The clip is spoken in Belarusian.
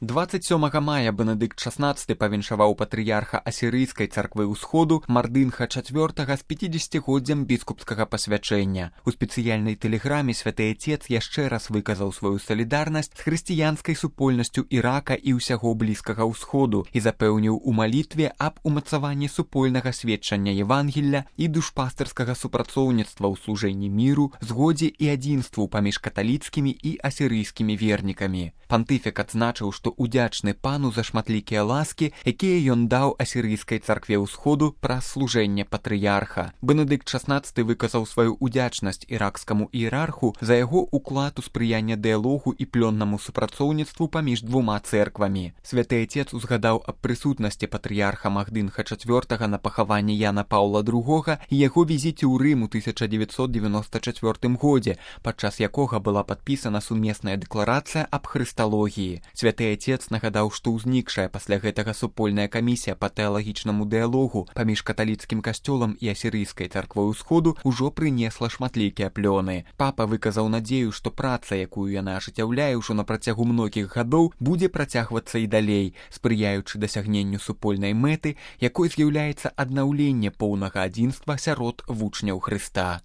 27 мая Бенедыкт XVI павіншаваў патрыярха асірыйскай царквы ўсходу Мардынха IV з 50-годдзям біскупскага пасвячэння. У спецыяльнай тэлеграме святы Отец яшчэ раз выказаў сваю салідарнасць з хрысціянскай супольнасцю Ірака і ўсяго Блізкага ўсходу і запэўніў у малітве аб умацаванні супольнага сведчання Евангелля і душпастырскага супрацоўніцтва ў служэнні міру, згодзе і адзінству паміж каталіцкімі і асірыйскімі вернікамі. Пантыфік адзначыў, што удзячны пану за шматлікія ласкі, якія ён даў асірыйскай царкве ўсходу праз служэнне патрыярха. Бенедыкт XVI выказаў сваю удзячнасць іракскаму іерарху за яго уклад у спрыянне дыялогу і плённаму супрацоўніцтву паміж двума цэрквамі. Святы Отец узгадаў аб прысутнасці патрыярха Мардынха IV на пахаванні Яна Паўла II і яго візіце ў Рым у 1994 годзе, падчас якога была падпісана сумесная дэкларацыя аб хрысталогіі. Святы Отец нагадаў, што ўзнікшая пасля гэтага супольная камісія па тэалагічнаму дыялогу паміж каталіцкім касцёлам і асірыйскай царквой усходу ўжо прынесла шматлікія плёны. Папа выказаў надзею, што праца, якую яна ажыццяўляе ўжо на працягу многіх гадоў, будзе працягвацца і далей, спрыяючы дасягненню супольнай мэты, якой з'яўляецца аднаўленне поўнага адзінства сярод вучняў Хрыста.